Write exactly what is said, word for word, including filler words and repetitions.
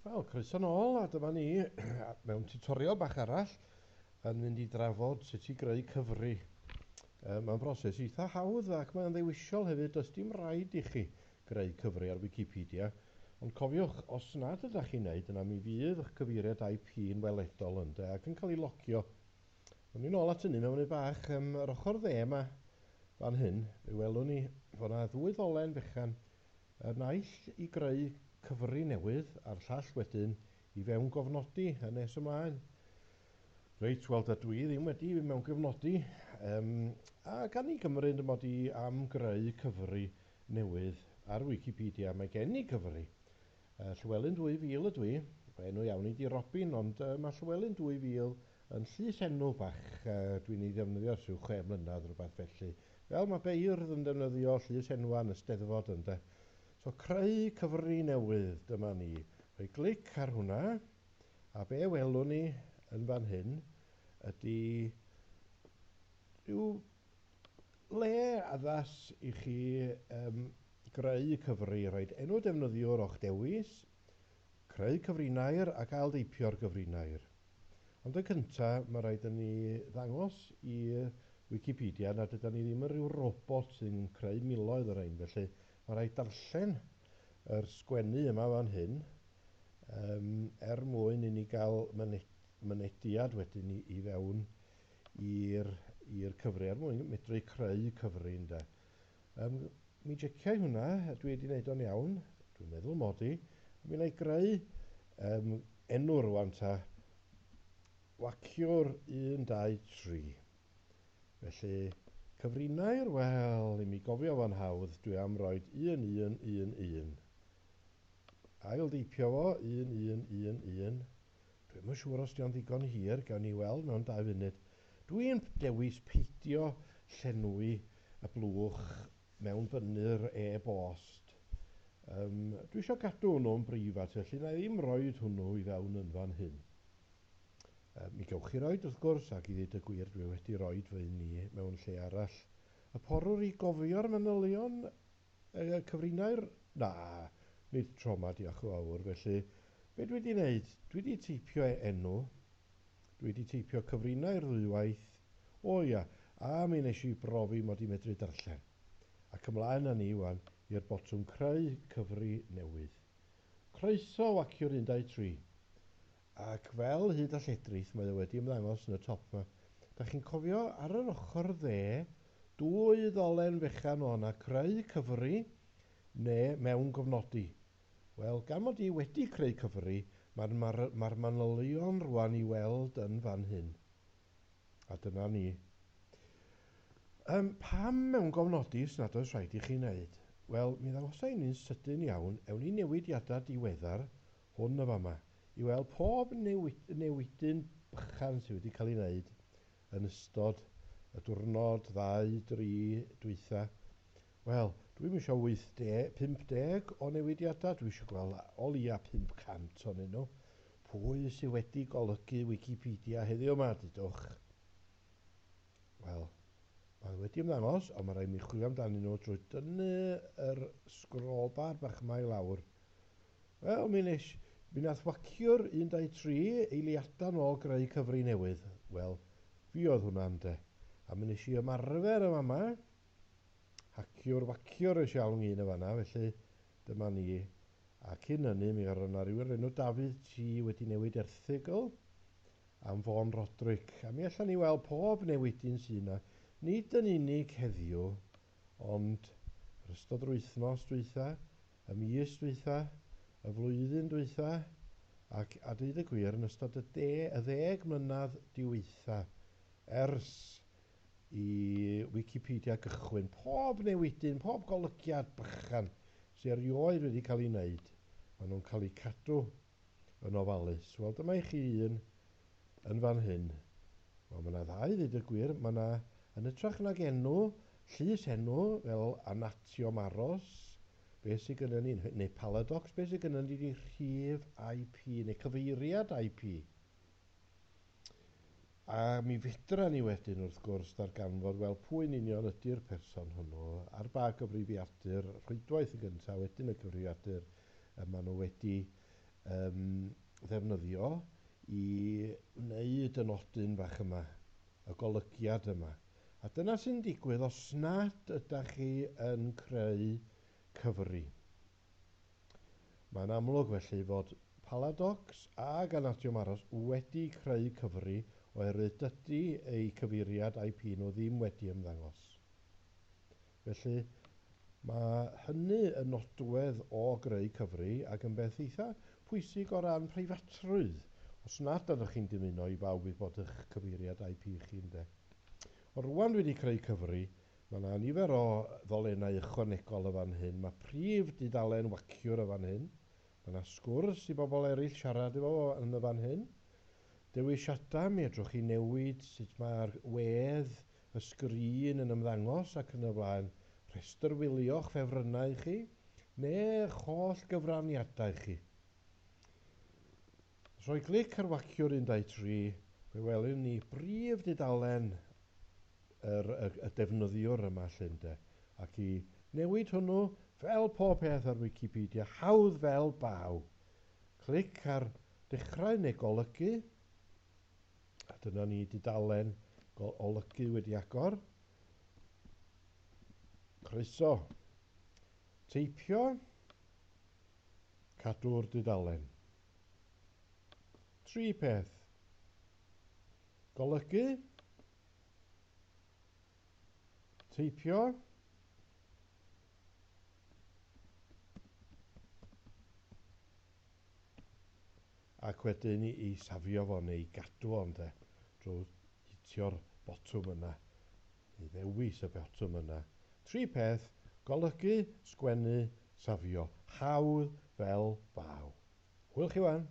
Wel, croeso nôl, a dyma ni mewn tutorial bach arall yn mynd i drafod sut i greu cyfri. Mae'n broses eitha hawdd ac mae'n ddewisiol hefyd, does dim rhaid i chi greu cyfri ar Wikipedia. Ond cofiwch, os nad ydych chi'n neud, yna mi fydd eich cyfeiriad I P yn weledol ynde ac yn cael ei logio. O'n i'n ôl at hynny mewn munud bach, um, yr ochr dde yma fan hyn, fe welwn ni fod yna ddwy ddolen fechan, y naill i greu cyfri newydd a'r llall wedyn i fewn gofnodi yn nes ymlaen. Reit, wel dydw i ddim wedi mewn gofnodi, um, a gan i gymryd mod i am greu cyfri newydd ar Wikipedia, mae gen i cyfri. Uh, Llywelyn dwy fil ydw i, enw iawn i di Robin, ond uh, mae Llywelyn dwy fil yn llys enw bach, uh, dwi'n ei ddefnyddio ers rhyw chwe mlynedd rhywbeth felly. Fel mae beirdd yn defnyddio llys enwa yn y Steddfod ynde. So creu cyfri newydd, dyma ni. Rhoi glic ar hwnna, a be welwn ni yn fan hyn ydy rhyw le addas i chi um, greu cyfri, rhoid enw defnyddiwr o'ch dewis, creu cyfrinair ac ail-deipio'r gyfrinair. Ond yn cyntaf, mae rhaid i ni ddangos i Wikipedia nad ydan ni ddim yn rhyw robot sy'n creu miloedd o'r rhain, felly mae rhaid darllen yr sgwennu yma fan hyn um, er mwyn i ni gael mynediad wedyn i, i fewn i'r i'r cyfri, er mwyn medru creu cyfri ynde. Um, mi jeciau hwnna, dwi wedi wneud o'n iawn, dwi'n meddwl mod i. Mi wna i greu um, enw rwan ta, Waciwr un dau tri. Felly, cyfrinair, wel, i mi gofio fo'n hawdd, dwi am roed un un un un. Ail-deipio fo, un un un un. Dwi'm yn siŵr os 'di o'n ddigon hir, gawn ni weld mewn dau funud. Dwi'n dewis peidio llenwi y blwch mewn bynnu'r e-bost. Um, dwi eisiau gadw hwnnw'n breifat, felly na i ddim roed hwnnw i fewn yn fan hyn. Um, mi gewch chi roed wrth gwrs, ac i ddweud y gwir dwi wedi roed fy un i mewn lle arall. Y porwr i gofio'r manylion e, cyfrinair? Na, nid tro 'ma, diolch yn fawr. Felly, be dwi wedi wneud? Dwi wedi teipio enw, dwi wedi teipio cyfrinair ddwywaith, o ia, a mi nes i brofi mod i medru darllen. Ac ymlaen â ni wan i'r botwm creu cyfri newydd. Croeso Waciwr un dau tri. Ac fel hyd a lledrith, mae o wedi ymddangos yn y top yma. Da chi'n cofio ar yr ochr dde, dwy ddolen fechan o yna, creu cyfri neu mewn gofnodi. Wel, gan mod i wedi creu cyfri, mae'r ma ma manylion rwan i weld yn fan hyn. A dyna ni. Um, pam mewn gofnodi os nad oes rhaid i chi wneud? Wel, mi ddangosai ni'n sydyn iawn, ewn ni newidiadau diweddar, hwn y fama, i weld pob newid, newidyn bychan sydd wedi cael ei wneud yn ystod y diwrnod, ddau, dri, dwytha. Wel, dwi'm isio wyth deg, pump deg o newidiadau, dwi eisiau gweld o leia pump cant ohonyn nhw. Pwy sydd wedi golygu Wikipedia heddiw yma, dudwch? Wel, mae wedi ymddangos, ond mae rhaid mi chwilio amdanyn nhw drwy dynnu yr scroll bar bach yma i lawr. Wel, mi nes, mi nath Waciwr un dau tri eiliadau nôl greu cyfri newydd. Wel, fi oedd hwnna ynde. A mi nes i ymarfer yma yma. Haciwr Waciwr eisiau alw un o fanna, felly dyma ni. A cyn hynny, mi oedd yna rhywun enw Dafydd T wedi newid erthygl am Fôn Roderick. A mi allan ni weld pob newidyn sydd yna. Nid yn unig heddiw, ond yr ystod yr wythnos dwytha, y mis dwytha, y flwyddyn dwytha, ac a dweud y gwir yn ystod y, de, y ddeg mlynedd diweitha ers i Wikipedia gychwyn, pob newidyn, pob golygiad bychan sydd erioed wedi cael ei wneud, maen nhw'n cael eu cadw yn ofalus. Wel, dyma i chi un yn fan hyn. Wel, mae yna ddau, ddweud y gwir. Mae yna, yn hytrach nag enw, llys enw, fel Anatiomaros, beth sydd gynnon ni, neu Paladox, beth sydd gynnon ni ydi rhif I P, neu cyfeiriad I P. A mi fedra ni wedyn, wrth gwrs, darganfod, wel, pwy'n union ydy'r person hwnnw, ar ba gyfrifiadur, rhwydwaith yn gyntaf, wedyn y cyfrifiadur y maen nhw wedi um, ddefnyddio i wneud y nodyn bach yma, y golygiad yma. A dyna sy'n digwydd os nad ydych chi yn creu cyfri. Mae'n amlwg felly fod Paladocs ag Anadiwm Aros wedi creu cyfri oherwydd dydy eu cyfeiriad I P nhw ddim wedi ymddangos. Felly mae hynny yn nodwedd o greu cyfri ac yn beth eitha pwysig o ran preifatrwydd, os nad ydych chi'n dymuno i bawb wybod eich cyfeiriad I P chi, ynde. Ond rŵan dwi wedi creu cyfri, mae yna nifer o ddolennau ychwanegol y fan hyn. Mae prif dudalen waciwr y fan hyn. Mae yna sgwrs i bobl eraill siarad efo fo yn y fan hyn. Dewisiadau, mi fedrwch chi newid sut mae'r wedd, y sgrin yn ymddangos ac yn y blaen. Rhestr wylio'ch ffefrynnau chi, neu'ch holl gyfraniadau chi. Os rhoi clic ar waciwr un dau tri, fe welwn ni brif dudalen yr, y, y defnyddiwr yma lle, ynde. Ac i newid hwnnw, fel pob peth ar Wikipedia, hawdd fel baw. Clic ar dechrau neu golygu, a dyna ni dudalen olygu wedi agor. Croeso. Teipio, cadw'r dudalen. Tri peth. Golygu, teipio, ac wedyn i, i safio fo neu i gadw fo, ynde, drwy hitio'r botwm yna, neu ddewis y botwm yna. Tri peth, golygu, sgwennu, safio. Hawdd fel baw. Hwyl chi wan.